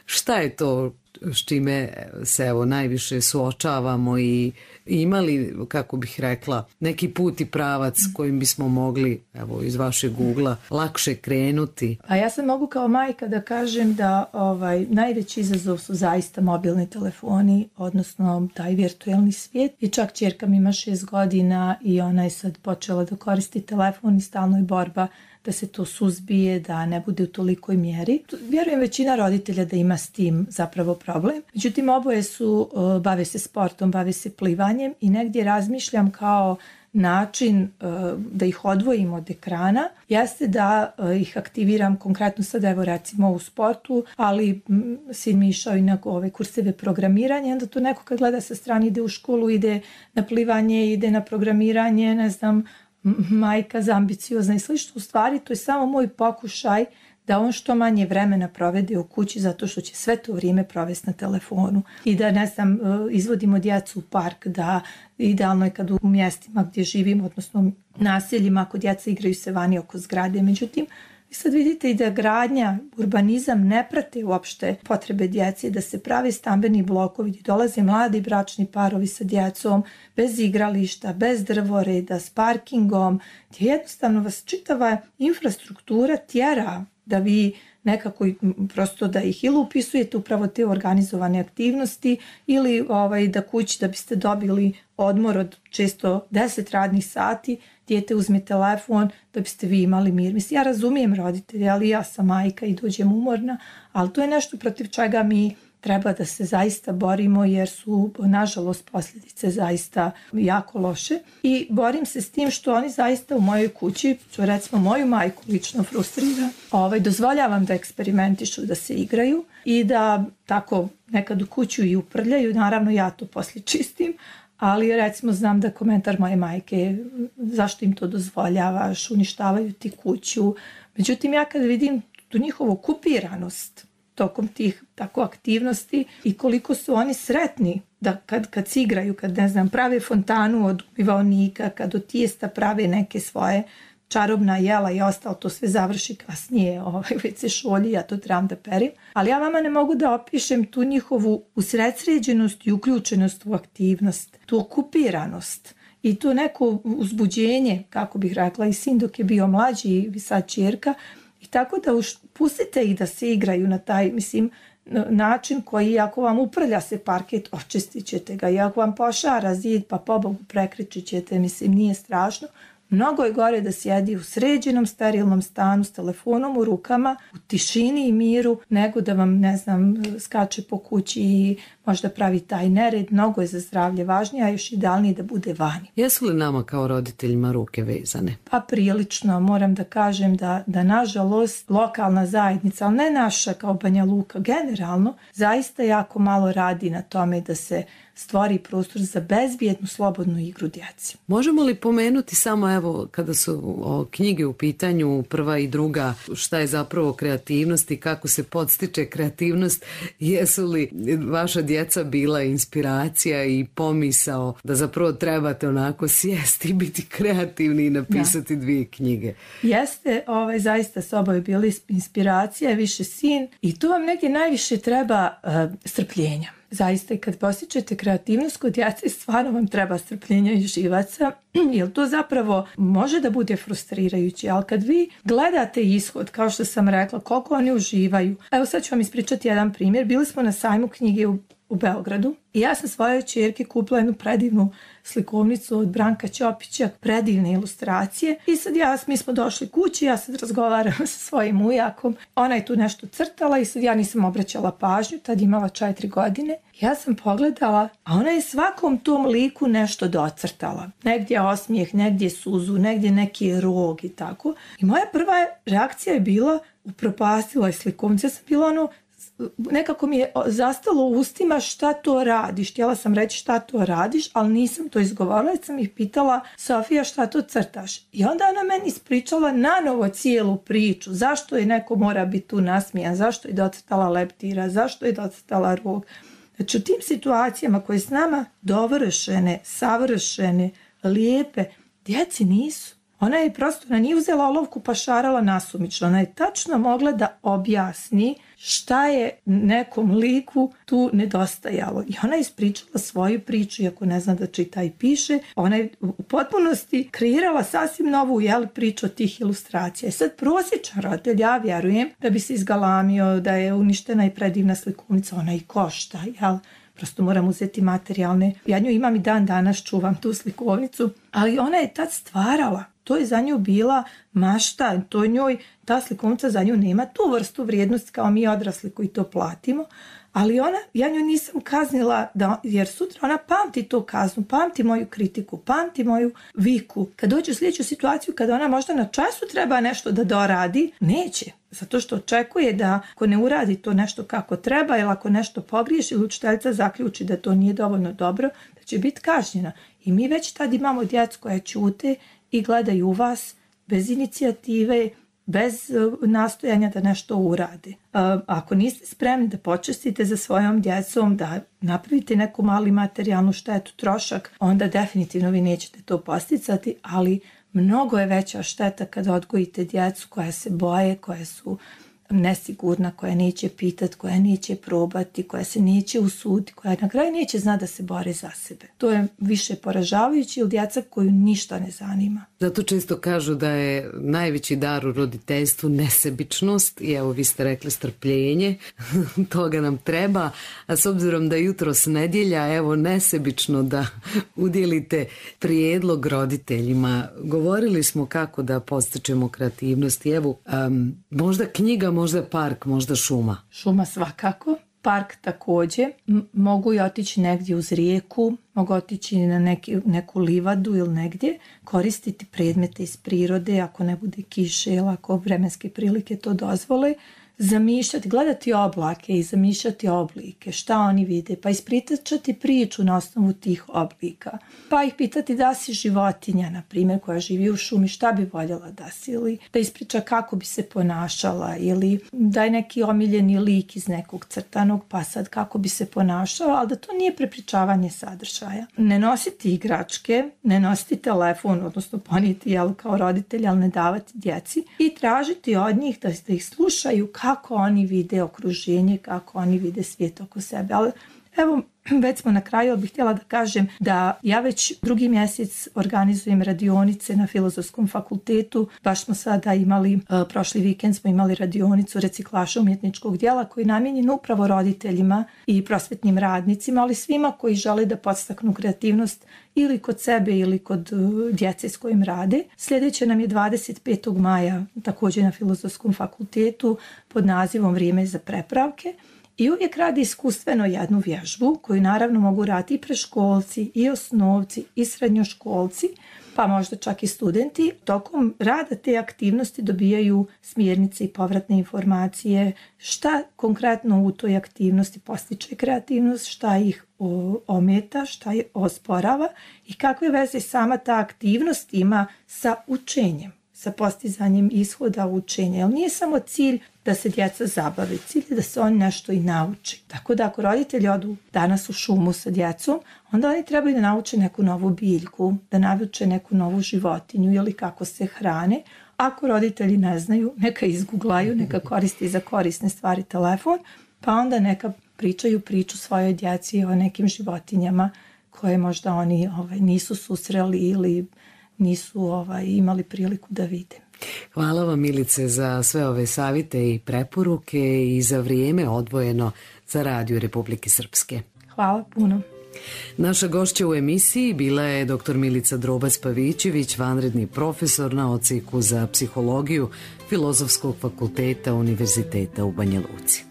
Šta je to s čime se evo najviše suočavamo i imali, kako bih rekla, neki put i pravac kojim bismo mogli, evo iz vašeg ugla, lakše krenuti? A ja sam mogu kao majka da kažem da najveći izazov su zaista mobilni telefoni, odnosno taj virtualni svijet. I čak ćerka mi ima 6 godina i ona je sad počela da koristi telefon i stalno je borba da se to suzbije, da ne bude u tolikoj mjeri. Vjerujem većina roditelja da ima s tim zapravo problem. Međutim, oboje bave se sportom, bave se plivanjem i negdje razmišljam kao način da ih odvojim od ekrana jeste da ih aktiviram konkretno sad evo recimo u sportu, ali sin mi išao i na ove kurseve programiranja, onda to neko kad gleda sa strane ide u školu, ide na plivanje, ide na programiranje, ne znam, majka zambiciozna i slično. U stvari to je samo moj pokušaj da on što manje vremena provede u kući zato što će sve to vrijeme provesti na telefonu i da ne znam, izvodimo djecu u park, da idealno je kad u mjestima gdje živimo, odnosno naseljima, ako djeca igraju se vani oko zgrade. Međutim, vi sad vidite i da gradnja, urbanizam ne prate uopšte potrebe djece, da se prave stambeni blokovi gdje dolaze mladi bračni parovi sa djecom, bez igrališta, bez drvoreda, s parkingom, gdje jednostavno vas čitava infrastruktura tjera da vi nekako prosto da ih ili upisujete upravo te organizovane aktivnosti ili da kući da biste dobili odmor od često 10 radnih sati, dijete uzme telefon da biste vi imali mir. Mislim, ja razumijem roditelje, ali ja sam majka i dođem umorna, ali to je nešto protiv čega mi treba da se zaista borimo jer su, nažalost, posljedice zaista jako loše. I borim se s tim što oni zaista u mojoj kući, što recimo moju majku lično frustrira, dozvoljavam da eksperimentišu, da se igraju i da tako nekad u kuću i uprljaju. Naravno, ja to poslije čistim, ali recimo znam da komentar moje majke je zašto im to dozvoljavaš, uništavaju ti kuću. Međutim, ja kad vidim tu njihovu okupiranost tokom tih tako aktivnosti i koliko su oni sretni da kad se igraju, kad ne znam, prave fontanu od umivaonika, kad od tijesta prave neke svoje čarobna jela i ostalo, to sve završi kasnije, već se šolji, ja to trebam da perim. Ali ja vama ne mogu da opišem tu njihovu usredsređenost i uključenost u aktivnost, tu okupiranost i to neko uzbuđenje, kako bih rekla, i sin dok je bio mlađi i sad ćerka. I tako da pustite ih da se igraju na taj, način koji, ako vam uprlja se parket, očistit ćete ga. I ako vam pošara zid, pa pobogu prekričit ćete, nije strašno. Mnogo je gore da sjedi u sređenom, sterilnom stanu s telefonom u rukama, u tišini i miru, nego da vam, ne znam, skače po kući i možda pravi taj nered. Mnogo je za zdravlje važnije, a još idealnije da bude vani. Jesu li nama kao roditeljima ruke vezane? Pa prilično. Moram da kažem da nažalost lokalna zajednica, ali ne naša kao Banja Luka, generalno, zaista jako malo radi na tome da se stvori prostor za bezbjednu, slobodnu igru djeci. Možemo li pomenuti samo, evo, kada su knjige u pitanju, prva i druga, šta je zapravo kreativnost i kako se podstiče kreativnost? Jesu li vaša djeca bila inspiracija i pomisao da zapravo trebate onako sjesti i biti kreativni i napisati 2 knjige? Jeste, zaista s oboje bili inspiracija, više sin i tu vam negdje najviše treba strpljenja. Zaista i kad postičete kreativnost kod djece, stvarno vam treba strpljenja i živaca, jer to zapravo može da bude frustrirajuće, ali kad vi gledate ishod, kao što sam rekla, koliko oni uživaju. Evo sad ću vam ispričati jedan primjer. Bili smo na sajmu knjige u Beogradu i ja sam svojoj ćerki kupila jednu predivnu slikovnicu od Branka Ćopića, predivne ilustracije i sad mi smo došli kući, ja sad razgovaram sa svojim ujakom, ona je tu nešto crtala i sad ja nisam obraćala pažnju, tad imala 4 godine. Ja sam pogledala, a ona je svakom tom liku nešto docrtala. Negdje osmijeh, negdje suzu, negdje neki rog i tako. I moja prva reakcija je bila, upropastila je slikovnicu. Ja sam bila nekako mi je zastalo u ustima šta to radiš. Htjela sam reći šta to radiš, ali nisam to izgovorila, jer sam ih pitala: Sofija, šta to crtaš? I onda ona meni ispričala nanovo cijelu priču. Zašto je neko mora biti tu nasmijan, zašto je docrtala leptira, zašto je docrtala rog. Znači u tim situacijama koje s nama dovršene, savršene, lijepe, djeci nisu. Ona je prosto, ona nije uzela olovku pa šarala nasumično. Ona je tačno mogla da objasni šta je nekom liku tu nedostajalo. I ona je ispričala svoju priču, iako ne zna da čita i piše. Ona je u potpunosti kreirala sasvim novu priču od tih ilustracija. I sad prosječan roditelj, ja vjerujem, da bi se izgalamio da je uništena i predivna slikovnica. Ona i košta, jel? Prosto moram uzeti materijalne. Ja nju imam i dan danas, čuvam tu slikovnicu, ali ona je tad stvarala. To je za nju bila mašta, to njoj, ta slikovnica za nju nema tu vrstu vrijednosti kao mi odrasli koji to platimo, ali ja nju nisam kaznila, jer sutra ona pamti tu kaznu, pamti moju kritiku, pamti moju viku. Kad dođe u sljedeću situaciju, kada ona možda na času treba nešto da doradi, neće. Zato što očekuje da ako ne uradi to nešto kako treba, ili ako nešto pogriješi, ili učiteljica zaključi da to nije dovoljno dobro, da će biti kažnjena. I mi već tad imamo djecu koja ćute i gledaju vas bez inicijative, bez nastojanja da nešto urade. Ako niste spremni da počestite za svojom djecom, da napravite neku mali materijalnu štetu, trošak, onda definitivno vi nećete to posticati, ali mnogo je veća šteta kada odgojite djecu koja se boje, koja su nesigurna, koja neće pitati, koja neće probati, koja se neće usuditi, koja na kraju neće znati da se bore za sebe. To je više poražavajuće od djeca koju ništa ne zanima. Zato često kažu da je najveći dar u roditeljstvu nesebičnost i evo vi ste rekli strpljenje, toga nam treba, a s obzirom da jutros nedjelja, evo nesebično da udjelite prijedlog roditeljima. Govorili smo kako da podstičemo kreativnost i evo možda knjiga, možda park, možda šuma. Šuma svakako. Park također. Mogu i otići negdje uz rijeku, mogu otići na neku livadu ili negdje, koristiti predmete iz prirode ako ne bude kiše ili ako vremenske prilike to dozvole, zamišljati, gledati oblake i zamišljati oblike, šta oni vide, pa ispričati priču na osnovu tih oblika, pa ih pitati da si životinja, na primjer, koja živi u šumi, šta bi voljela da si, ili da ispriča kako bi se ponašala, ili da je neki omiljeni lik iz nekog crtanog, pa sad kako bi se ponašao, ali da to nije prepričavanje sadržaja. Ne nositi igračke, ne nositi telefon, odnosno ponijeti kao roditelj, ali ne davati djeci i tražiti od njih da ih slušaju kako oni vide okruženje, kako oni vide svijet oko sebe. Ali evo, već smo na kraju, ali bih htjela da kažem da ja već 2. mjesec organizujem radionice na Filozofskom fakultetu. Baš smo sada imali, prošli vikend smo imali radionicu reciklaža umjetničkog djela koji je namijenjen upravo roditeljima i prosvetnim radnicima, ali svima koji žele da podstaknu kreativnost ili kod sebe ili kod djece s kojim rade. Sljedeće nam je 25. maja također na Filozofskom fakultetu pod nazivom Vrijeme za prepravke. I uvijek radi iskustveno jednu vježbu koju naravno mogu raditi i preškolci, i osnovci, i srednjoškolci, pa možda čak i studenti. Tokom rada te aktivnosti dobijaju smjernice i povratne informacije šta konkretno u toj aktivnosti postiče kreativnost, šta ih ometa, šta ih osporava i kakve veze sama ta aktivnost ima sa učenjem, sa postizanjem ishoda učenja. Jer nije samo cilj da se djeca zabave, cilj je da se oni nešto i nauči. Tako da ako roditelji odu danas u šumu sa djecom, onda oni trebaju da nauče neku novu biljku, da nauče neku novu životinju ili kako se hrane. Ako roditelji ne znaju, neka izguglaju, neka koriste za korisne stvari telefon, pa onda neka pričaju priču svojoj djeci o nekim životinjama koje možda oni nisu susreli ili nisu imali priliku da vide. Hvala vam, Milice, za sve ove savjete i preporuke i za vrijeme odvojeno za Radio Republike Srpske. Hvala puno. Naša gošća u emisiji bila je dr. Milica Drobac-Pavićević, vanredni profesor na odsjeku za psihologiju Filozofskog fakulteta Univerziteta u Banja Luci.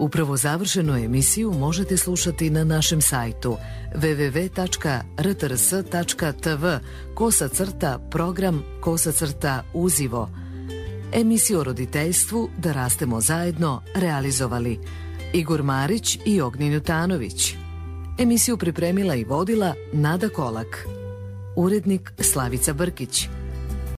Upravo završenu emisiju možete slušati na našem sajtu www.rtrs.tv/program/uzivo. Emisiju o roditeljstvu Da rastemo zajedno realizovali Igor Marić i Ognjen Jutanović. Emisiju pripremila i vodila Nada Kolak. Urednik Slavica Brkić.